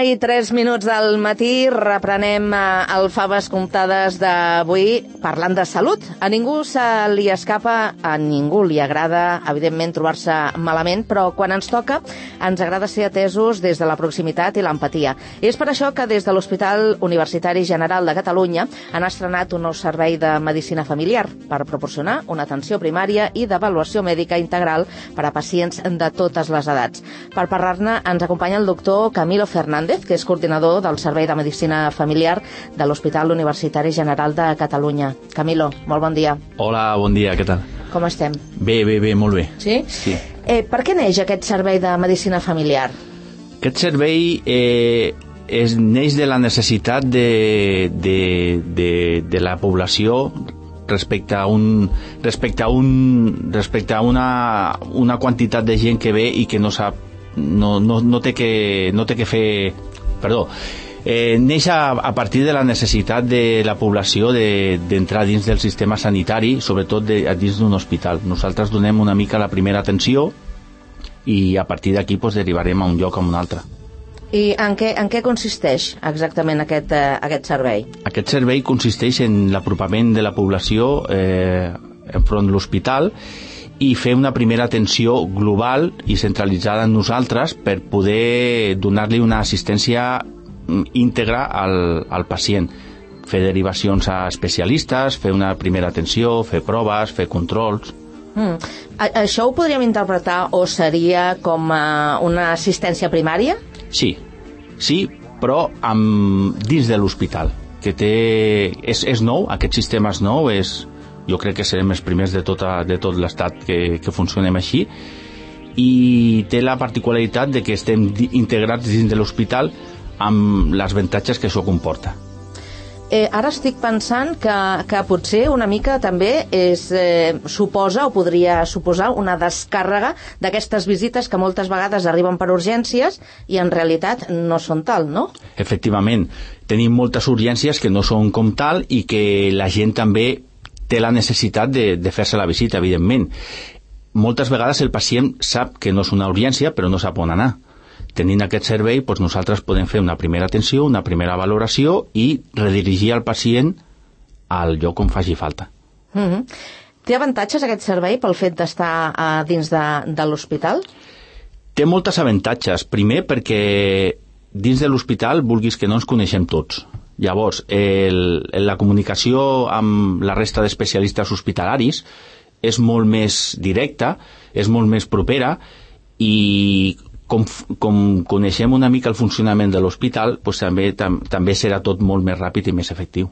I 3 minuts del matí, reprenem el Faves Comptades d'avui parlant de salut. A ningú se li escapa, a ningú li agrada, evidentment, trobar-se malament, però quan ens toca ens agrada ser atesos des de la proximitat i l'empatia. És per això que des de l'Hospital Universitari General de Catalunya han estrenat un nou servei de medicina familiar per proporcionar una atenció primària i d'avaluació mèdica integral per a pacients de totes les edats. Per parlar-ne ens acompanya el doctor Camilo Fernández, que és coordinador del Servei de Medicina Familiar de l'Hospital Universitari General de Catalunya. Camilo, molt bon dia. Hola, bon dia, què tal? Com estem? Bé, molt bé. Sí? Sí. Per què neix aquest servei de medicina familiar? Aquest servei neix de la necessitat de la població respecte a una quantitat de gent que ve i que no sap, no té que fer. Perdó. Neix a partir de la necessitat de la població d'entrar dins del sistema sanitari, sobretot dins d'un hospital. Nosaltres donem una mica la primera atenció i a partir d'aquí derivarem a un lloc o a un altre. I en què consisteix exactament aquest servei? Aquest servei consisteix en l'apropament de la població enfront de l'hospital i fer una primera atenció global i centralitzada en nosaltres per poder donar-li una assistència íntegra al pacient, fer derivacions a especialistes, fer una primera atenció, fer proves, fer controls. Això ho podríem interpretar o seria com una assistència primària? Sí, però dins de l'hospital, que és nou, aquest sistema és nou, jo crec que serem els primers de tot l'estat que funcionem així, i té la particularitat de que estem integrats dins de l'hospital amb els avantatges que això comporta. Ara estic pensant que potser una mica també suposa o podria suposar una descàrrega d'aquestes visites que moltes vegades arriben per urgències i en realitat no són tal, no? Efectivament, tenim moltes urgències que no són com tal i que la gent també té la necessitat de fer-se la visita, evidentment. Moltes vegades el pacient sap que no és una urgència, però no sap on anar. Tenint aquest servei, nosaltres podem fer una primera atenció, una primera valoració i redirigir el pacient al lloc on faci falta. Té avantatges aquest servei pel fet d'estar dins de l'hospital? Té moltes avantatges. Primer, perquè dins de l'hospital, vulguis que no, ens coneixem tots. Llavors, la comunicació amb la resta d'especialistes hospitalaris és molt més directa, és molt més propera, i com coneixem una mica el funcionament de l'hospital, també serà tot molt més ràpid i més efectiu.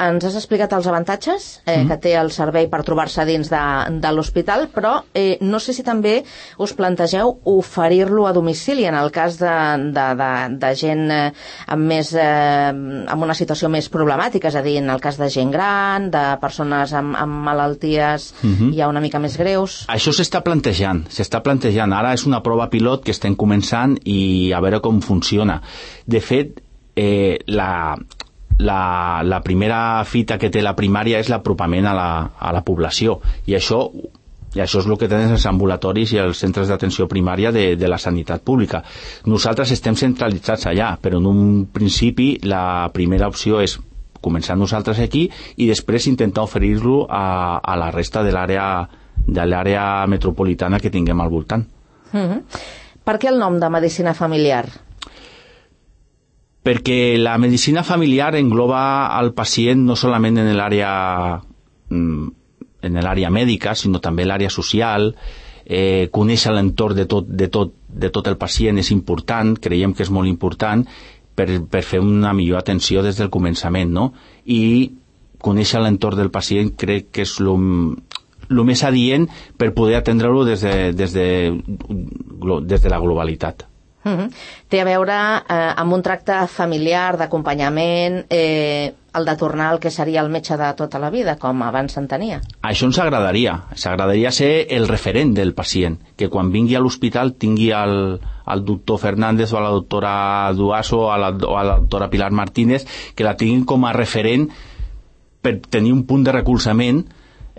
Ens has explicat els avantatges que té el servei per trobar-se dins de l'hospital, però no sé si també us plantegeu oferir-lo a domicili en el cas de gent amb una situació més problemàtica, és a dir, en el cas de gent gran, de persones amb malalties ja una mica més greus. Això s'està plantejant. Ara és una prova pilot que estem començant i a veure com funciona. De fet, la primera fita que té la primària és l'apropament a la població, i això és el que tenen els ambulatoris i els centres d'atenció primària de la sanitat pública. Nosaltres estem centralitzats allà, però en un principi la primera opció és començar nosaltres aquí i després intentar oferir-lo a la resta de l'àrea metropolitana que tinguem al voltant. Per què el nom de medicina familiar? Perquè la medicina familiar engloba al pacient no solament en l'àrea mèdica, sinó també l'àrea social. Conèixer l'entorn de tot el pacient és important, creiem que és molt important per fer una millor atenció des del començament, no? I conèixer l'entorn del pacient crec que és el més adient per poder atendre-lo des de la globalitat. Té a veure amb un tracte familiar, d'acompanyament. el de tornar al que seria el metge de tota la vida, com abans s'entenia. Això ens agradaria ser el referent del pacient, que quan vingui a l'hospital tingui el doctor Fernández o a la doctora Duaso o a la doctora Pilar Martínez, que la tinguin com a referent per tenir un punt de recolzament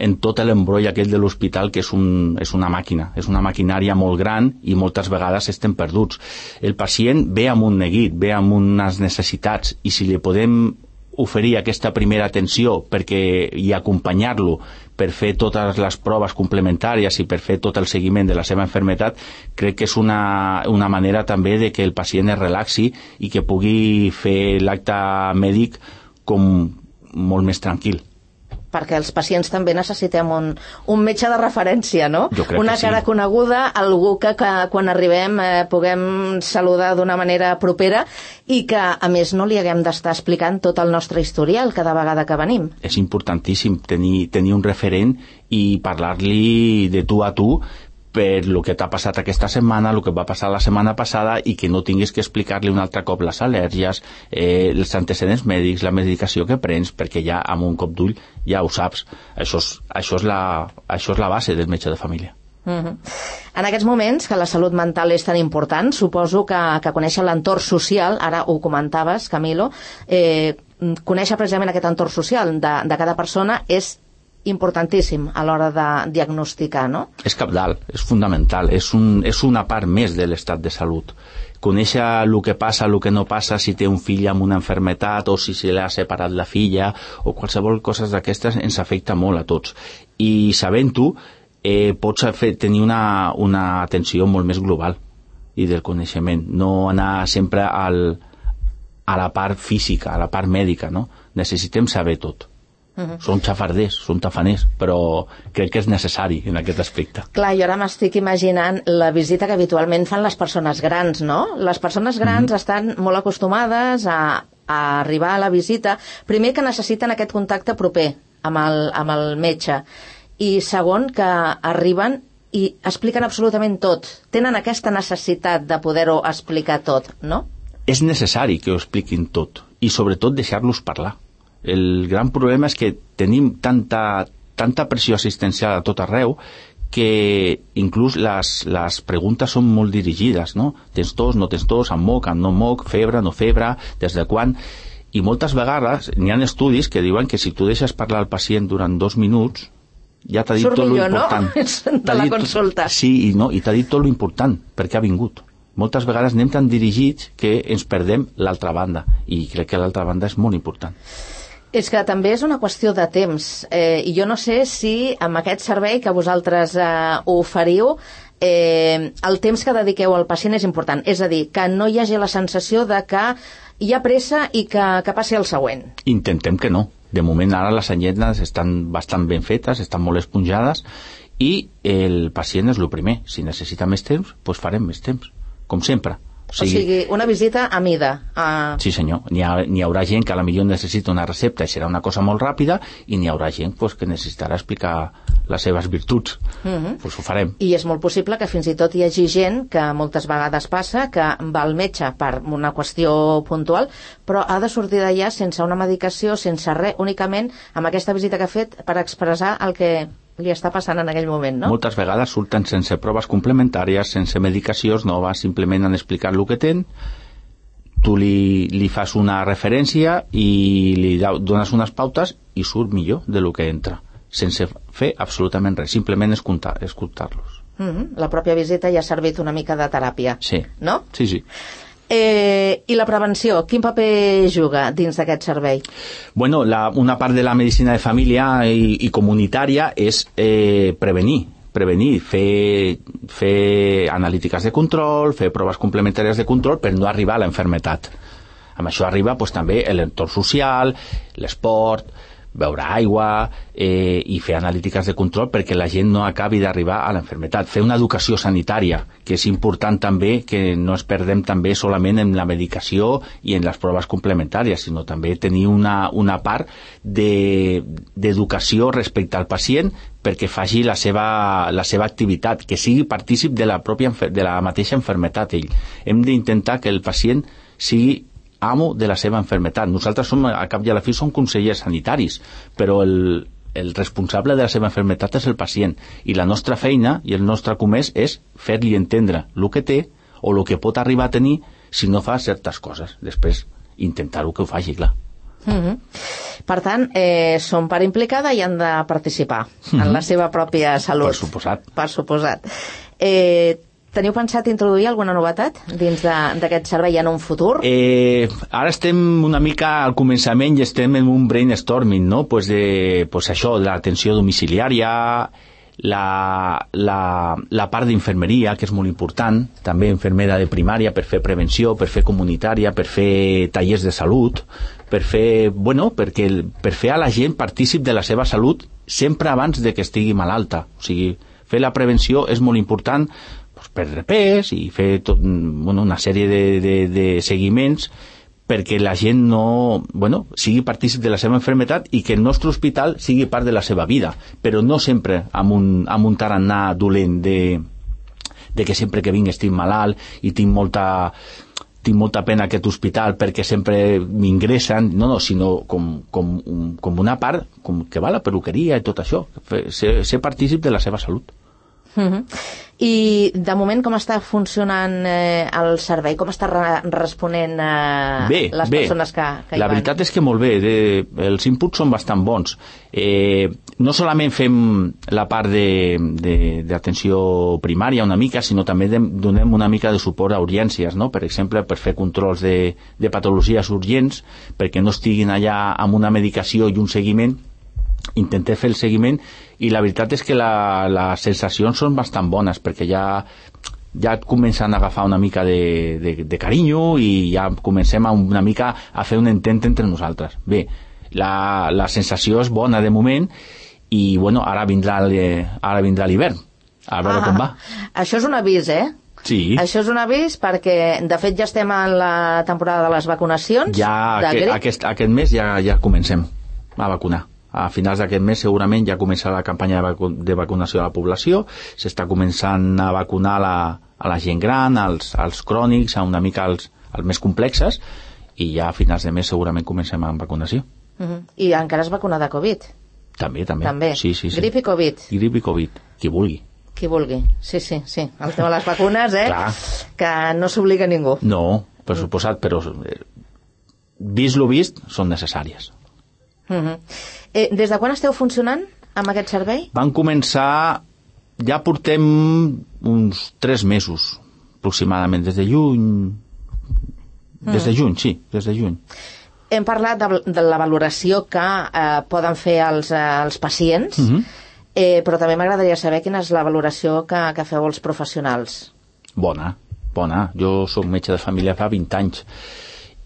en tot l'embroll aquell de l'hospital, que és una màquina, és una maquinària molt gran i moltes vegades estem perduts. El pacient ve amb un neguit, ve amb unes necessitats, i si li podem oferir aquesta primera atenció i acompanyar-lo per fer totes les proves complementàries i per fer tot el seguiment de la seva malaltia, crec que és una manera també de que el pacient es relaxi i que pugui fer l'acte mèdic com molt més tranquil. Perquè els pacients també necessitem un metge de referència, no? Una cara coneguda, algú que quan arribem puguem saludar d'una manera propera i que, a més, no li haguem d'estar explicant tot el nostre historial cada vegada que venim. És importantíssim tenir un referent i parlar-li de tu a tu per el que t'ha passat aquesta setmana, el que va passar la setmana passada, i que no tinguis que explicar-li un altre cop les al·lèrgies, els antecedents mèdics, la medicació que prens, perquè ja amb un cop d'ull ja ho saps. Això és la base del metge de família. En aquests moments que la salut mental és tan important, suposo que conèixer l'entorn social, ara ho comentaves, Camilo, conèixer precisament aquest entorn social de cada persona és importantíssim a l'hora de diagnosticar, no? És cabdal, és fundamental, és una part més de l'estat de salut. Conèixer el que passa, el que no passa, si té un fill amb una malaltia o si se l'ha separat la filla o qualsevol cosa d'aquestes ens afecta molt a tots. I sabent-ho, pots tenir una atenció molt més global i del coneixement, no anar sempre a la part física, a la part mèdica, no? Necessitem saber tot. Són xafarders, són tafaners, però crec que és necessari en aquest aspecte. Clar, jo ara m'estic imaginant la visita que habitualment fan les persones grans, no? Les persones grans estan molt acostumades a arribar a la visita, primer que necessiten aquest contacte proper amb el metge, i segon que arriben i expliquen absolutament tot. Tenen aquesta necessitat de poder-ho explicar tot, no? És necessari que ho expliquin tot, i sobretot deixar-los parlar. El gran problema és que tenim tanta pressió assistencial a tot arreu que inclús les preguntes són molt dirigides, no? Tens tos, no tens tos, amb moc, amb no moc, febre, no febre, des de quan? I moltes vegades n'hi ha estudis que diuen que si tu deixes parlar al pacient durant 2 minuts ja t'ha dit tot l'important. Surt millor, no? De la consulta. Sí, i t'ha dit tot l'important, perquè ha vingut. Moltes vegades anem tan dirigits que ens perdem l'altra banda, i crec que l'altra banda és molt important. És que també és una qüestió de temps, i jo no sé si amb aquest servei que vosaltres oferiu, el temps que dediqueu al pacient és important, és a dir, que no hi hagi la sensació de que hi ha pressa i que passi el següent. Intentem que no. De moment ara les anyetes estan bastant ben fetes, estan molt esponjades, i el pacient és el primer. Si necessita més temps, doncs farem més temps, com sempre. O sigui, una visita a mida. Sí, senyor. N'hi haurà gent que potser necessita una recepta i serà una cosa molt ràpida, i n'hi haurà gent que necessitarà explicar les seves virtuts. Doncs ho farem. I és molt possible que fins i tot hi hagi gent que moltes vegades passa que va al metge per una qüestió puntual, però ha de sortir d'allà sense una medicació, sense res, únicament amb aquesta visita que ha fet per expressar el que li està passant en aquell moment, no? Moltes vegades surten sense proves complementàries, sense medicacions noves, simplement han explicat el que tenen, tu li fas una referència i li dones unes pautes i surt millor de lo que entra, sense fer absolutament res, simplement escoltar-los. La pròpia visita ja ha servit una mica de teràpia, sí. No? Sí, sí. I la prevenció, quin paper juga dins d'aquest servei? Bueno, una part de la medicina de família i comunitària és prevenir, fer analítiques de control, fer proves complementàries de control per no arribar a la malaltia. Amb això arriba també l'entorn social, l'esport, beure aigua i fer analítiques de control perquè la gent no acabi d'arribar a la malaltia. Fer una educació sanitària, que és important també, que no es perdem també solament en la medicació i en les proves complementàries, sinó també tenir una part d'educació respecte al pacient perquè faci la seva activitat, que sigui partícip de la mateixa malaltia ell. Hem d'intentar que el pacient sigui amo de la seva malaltia. Nosaltres som, al cap i a la fi, som consellers sanitaris, però el responsable de la seva malaltia és el pacient, i la nostra feina i el nostre comès és fer-li entendre el que té o el que pot arribar a tenir si no fa certes coses. Després intentar-ho que ho faci, clar. Per tant, són part implicada i han de participar en la seva pròpia salut. Per suposat. Teniu pensat introduir alguna novetat dins d'aquest servei en un futur? Ara estem una mica al començament i estem en un brainstorming, no? Pues això, l'atenció domiciliària, la part d'infermeria, que és molt important, també infermera de primària, per fer prevenció, per fer comunitària, per fer tallers de salut, per fer a la gent partícip de la seva salut sempre abans de que estigui malalta. O sigui, fer la prevenció és molt important, per repès i fer una sèrie de seguiments perquè la gent sigui partícip de la seva malaltia i que el nostre hospital sigui part de la seva vida, però no sempre amb un tarannà dolent de que sempre que vinc estic malalt i tinc molta pena aquest hospital perquè sempre m'ingressen, sinó com una part que va a la perruqueria i tot això, ser partícip de la seva salut. I de moment com està funcionant el servei? Com està responent les persones que hi van? La veritat és que molt bé, els inputs són bastant bons. No solament fem la part d'atenció primària una mica, sinó també donem una mica de suport a urgències, no? Per exemple, per fer controls de patologies urgents, perquè no estiguin allà amb una medicació i un seguiment. Intentem fer el seguiment i la veritat és que les sensacions són bastant bones perquè ja comencen a agafar una mica de carinyo i ja comencem una mica a fer un intent entre nosaltres. Bé, la sensació és bona de moment i ara vindrà l'hivern, a veure com va. Això és un avís, Sí. Això és un avís perquè, de fet, ja estem en la temporada de les vacunacions. Aquest mes ja comencem a vacunar. A finals d'aquest mes segurament ja començarà la campanya de vacunació de la població, s'està començant a vacunar a la gent gran, als crònics, una mica als més complexes, i ja a finals de mes segurament comencem amb vacunació. I encara es vacuna de Covid? També. Sí. Grip i Covid? Grip i Covid, qui vulgui. Qui vulgui, sí. El tema de les vacunes, Clar. Que no s'obliga ningú. No, per suposat, però vist lo vist, són necessàries. Des de quan esteu funcionant amb aquest servei? Van començar, ja portem uns 3 mesos aproximadament, des de juny. Des de juny. Hem parlat de la valoració que poden fer els pacients, però també m'agradaria saber quina és la valoració que feu els professionals. Bona. Jo soc metge de família fa 20 anys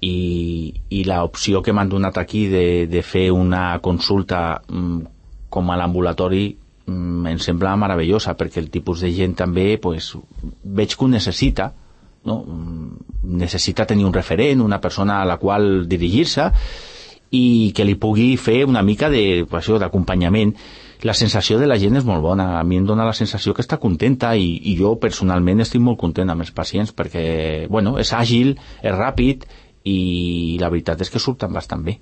i l'opció que m'han donat aquí de fer una consulta com a l'ambulatori em sembla meravellosa, perquè el tipus de gent també veig que ho necessita, no? Necessita tenir un referent, una persona a la qual dirigir-se i que li pugui fer una mica d'acompanyament. La sensació de la gent és molt bona, a mi em dona la sensació que està contenta i jo personalment estic molt content amb els pacients perquè és àgil, és ràpid i la veritat és que surten bastant bé.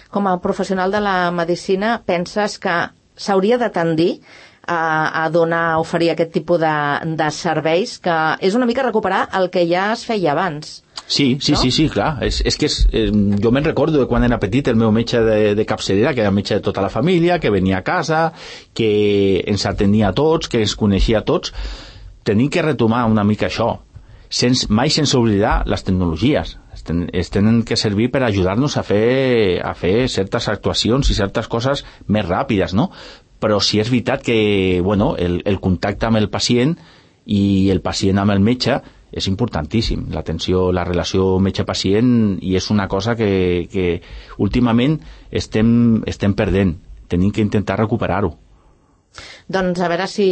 Com a professional de la medicina, penses que s'hauria de tendir a oferir aquest tipus de serveis, que és una mica recuperar el que ja es feia abans? Sí, clar. És que jo me'n recordo de quan era petit, el meu metge de capçalera, que era metge de tota la família, que venia a casa, que ens atenia a tots, que ens coneixia a tots. Tenim que retomar una mica això, mai sense oblidar les tecnologies. Es tenen que servir per ajudar-nos a fer certes actuacions i certes coses més ràpides, no? Però sí és veritat que el contacte amb el pacient i el pacient amb el metge és importantíssim, l'atenció, la relació metge-pacient, i és una cosa que últimament estem perdent. Tenim que intentar recuperar-ho. Doncs a veure si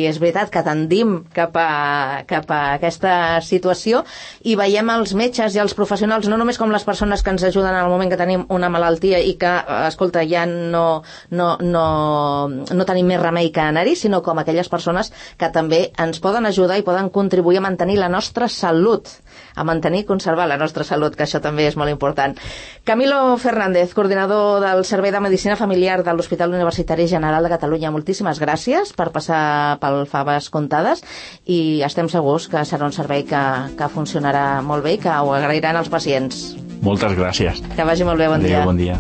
és veritat que tendim cap a aquesta situació i veiem els metges i els professionals no només com les persones que ens ajuden en el moment que tenim una malaltia i que, escolta, ja no tenim més remei que anar-hi, sinó com aquelles persones que també ens poden ajudar i poden contribuir a mantenir la nostra salut a mantenir i conservar la nostra salut, que això també és molt important. Camilo Fernández, coordinador del Servei de Medicina Familiar de l'Hospital Universitari General de Catalunya, moltíssimes gràcies per passar pel Faves Comptades i estem segurs que serà un servei que funcionarà molt bé i que ho agrairan els pacients. Moltes gràcies. Que vagi molt bé, bon dia. Bon dia.